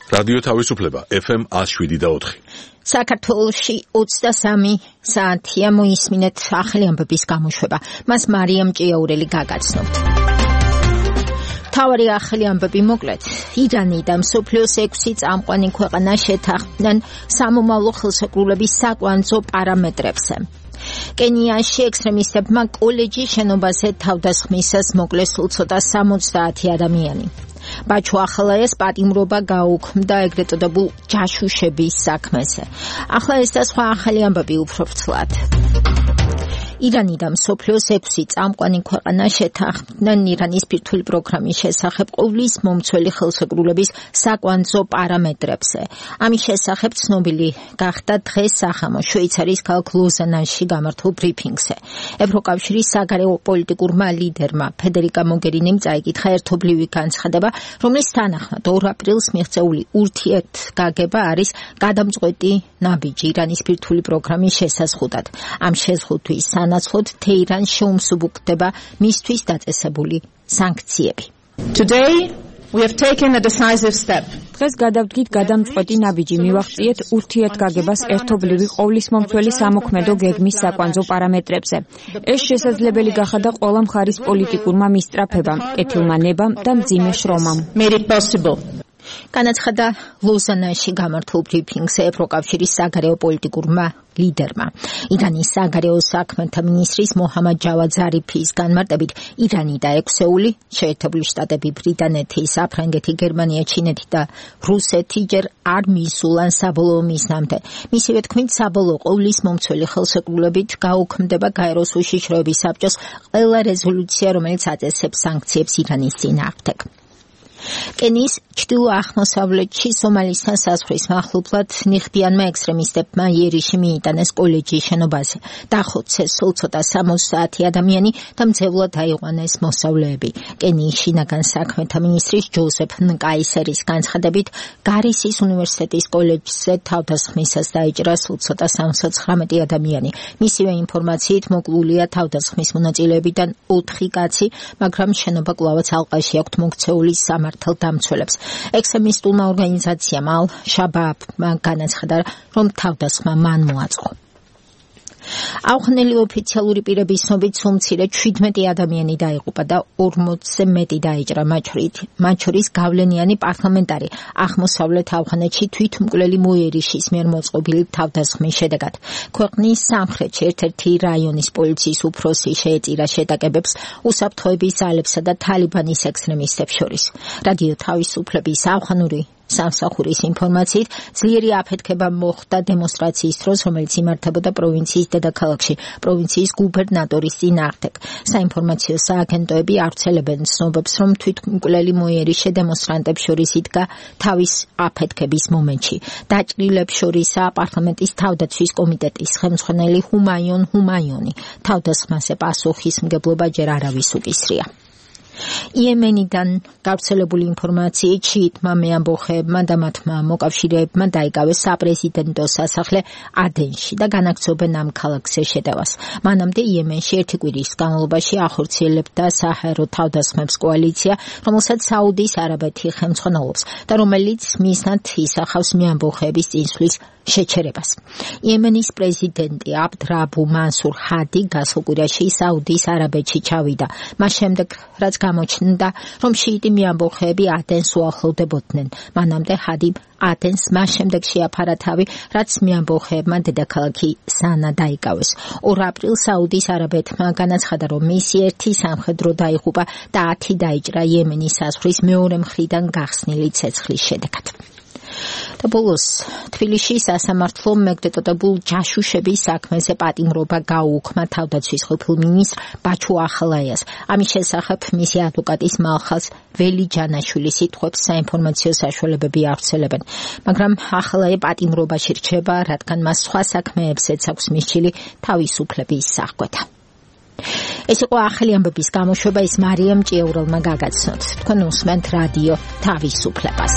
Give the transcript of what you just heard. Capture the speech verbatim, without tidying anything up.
რადიო თავისუფლება ეფ ემ ათს შვიდი და ოთხი. საქართველოში ოცდასამი საათია მოისმინეთ ახალი ამბების გამოშვება. მას მარიამ ჭიაურელი გაგაცნობთ. თავარი ახალი ამბები მოკლედ. ირანი და მსოფლიოს ექვსი წამყვანი ქვეყანა შეთანხმდნენ სამომავლო ხელშეკრულების საკვანძო პარამეტრებზე. კენიაში ექსტრემისტებმა კოლეჯის შენობაზე თავდასხმისას მოკლეს სულ ცოტა სამოცდაათი ადამიანი. ბაჩუ ახალაიას პატიმრობა გაუქმდა ეგრეთ წოდებულ ჯაშუშების საქმეზე. ახლა ეს და სხვა ახალი ამბები უფრო ფრთლად. ირანი და მსოფლიოს ექვსი წამყვანი ქვეყანა შეთანხმდნენ ირანის ბირთვული პროგრამის შესახებ ყოვლის მომცველი ხელშეკრულების საკვანძო პარამეტრებზე. ამის შესახებ ცნობილი გახდა დღეს სახამო შვეიცარიის ქალაქ ლოზანაში გამართულ ბრიფინგზე. ევროკავშირის საგარეო პოლიტიკურმა ლიდერმა ფედერიკა მოგერინიმ წაიკითხა ერთობლივი განცხადება, რომლის თანახმად ორ აპრილს მიღწეული ურთიერთგაგება არის გადამწყვეტი ნაბიჯი ირანის ბირთვული პროგრამის შესაზღუდად. ამ შეზღუდვის განაცხოდ თეირანს შეუმსუბუქდება მისთვის დაწესებული სანქციები. Today we have taken a decisive step. დღეს გადავდგით გადამწყვეტი ნაბიჯი მივახციეთ ურთიერთგაგებას ერთობლივი ყოვლისმომცველი სამოქმედო გეგმის საკვანძო პარამეტრებზე. ეს შესაძლებელი გახადა ყველა მხარის პოლიტიკურმა მისწრაფებამ, კეთილმა ნებამ და მძიმე შრომამ. Made it possible. განაცხადა ლოზანაში გამართულ ბრიფინგზე ევროკავშირის საგარეო პოლიტიკურმა ლიდერმა. ირანის საგარეო საქმეთა მინისტრის მოჰამად ჯავად ზარიფის განმარტებით ირანი და ექვსეული შეერთებული შტატები, ბრიტანეთი, საფრანგეთი, გერმანია, ჩინეთი და რუსეთი ჯერ არ მისულან საბოლოო მიზნამდე. მისივე თქმით, საბოლოო ყოვლის მომცველი ხელშეკრულებით გაუქმდება გაეროს უშიშროების საბჭოს ყველა რეზოლუცია, რომელიც აწესებს სანქციებს ირანის წინააღმდეგ. კენიის ჩრდილო-აღმოსავლეთში სომალისთან საზღვრის მახლობლად ნიღბიანმა ექსტრემისტებმა იერიში მიიტანეს კოლეჯის შენობაზე. დახოცეს სულ ცოტა სამოცდაათი ადამიანი და მძევლად აიყვანეს მოსწავლეები. კენიის შინაგან საქმეთა მინისტრის ჯოზეფ ნკაისერის განცხადებით, გარისის უნივერსიტეტის კოლეჯზე თავდასხმისას დაიჭრა სულ ცოტა სამოცდათხრამეტი ადამიანი. მისივე ინფორმაციით მოკლულია თავდასხმის მონაწილეებიდან ოთხი კაცი, მაგრამ შენობა კვლავაც ალყაში აქვთ მოქცეული სამართალდამცველებს. ექსტრემისტულმა ორგანიზაციამ ალ-შაბაბმა განაცხადა, რომ თავდასხმა მან მოაწყო. აუხსნელი ოფიციალური პირების ცნობით სულ მცირე შვიდმეტი ადამიანი დაიღუპა და ორმოცზე მეტი დაიჭრა, მათ შორის გავლენიანი პარლამენტარი აღმოსავლეთ ავღანეთში თვითმკვლელი მოიერიშის მიერ მოწყობილი თავდასხმის შედეგად. ქვეყნის სამხრეთში ერთ-ერთი რაიონის პოლიციის უფროსი შეეწირა შეტაკებებს უსაფრთხოების ძალებსა და თალიბანის ექსტრემისტებს შორის. რადიო თავისუფლების ავღანური სამსახურის ინფორმაციით ძლიერი აფეთქება მოხდა დემონსტრაციის დროს, რომელიც იმართებოდა პროვინციის დედაქალაქში, პროვინციის გუბერნატორის წინააღმდეგ. საინფორმაციო სააგენტოები ავრცელებენ ცნობებს, რომ თვითმკვლელი მოიერიშე დემონსტრანტებს შორის იდგა თავის აფეთქების მომენტში. დაჭრილებს შორისაა პარლამენტის თავდაცვის კომიტეტის ხელმძღვანელი ჰუმაიონ ჰუმაიონი. თავდასხმაზე პასუხისმგებლობა ჯერ არავის უკისრია. იემენიდან გავრცელებული ინფორმაციით შიიტმა მეამბოხეებმა და მათმა მოკავშირეებმა დაიკავეს საპრეზიდენტო სასახლე ადენში და განაგრძობენ ამ ქალაქზე შეტევას. მანამდე იემენში ერთი კვირის განმავლობაში ახორციელებდა საჰაერო თავდასხმებს კოალიცია, რომელსაც საუდის არაბეთი ხელმძღვანელობს და რომელიც მიზნად ისახავს მეამბოხეების წინსვლის შეჩერებას. იემენის პრეზიდენტი აბდ რაბუ მანსურ ჰადი გასულ კვირაში საუდის არაბეთში ჩავიდა. მას შემდეგ, რაც გამოჩნდა, რომ შიიტი მეამბოხეები ადენს უახლოვდებოდნენ. მანამდე ჰადიმ ადენს მას შემდეგ შეაფარა თავი, რაც მეამბოხეებმა დედაქალაქი სანა დაიკავეს. ორ აპრილს საუდის არაბეთმა განაცხადა, რომ მისი ერთი სამხედრო დაიღუპა და ათი დაიჭრა იემენის საზღვრის მეორე მხრიდან გახსნილი ცეცხლის შედეგად. და ბოლოს თბილისში სასამართლომ ეგრეთ წოდებულ ჯაშუშების საქმეზე პატიმრობა გაუქმა თავდაცვის ყოფილ მინისტრ ბაჩუ ახალაიას. ამის შესახებ მისი ადვოკატის მალხაზ ველი ჯანაშვილის სიტყვებს საინფორმაციო საშუალებები ავრცელებენ, მაგრამ ახალაია პატიმრობაში რჩება, რადგან მას სხვა საქმეებზეც აქვს მისჩილი თავისუფლების აღკვეთა. ეს იყო ახალი ამბების გამოშვება, ის მარიამ ჭიაურელმა გაგაცნოთ. თქვენ უსმენთ რადიო თავისუფლებას.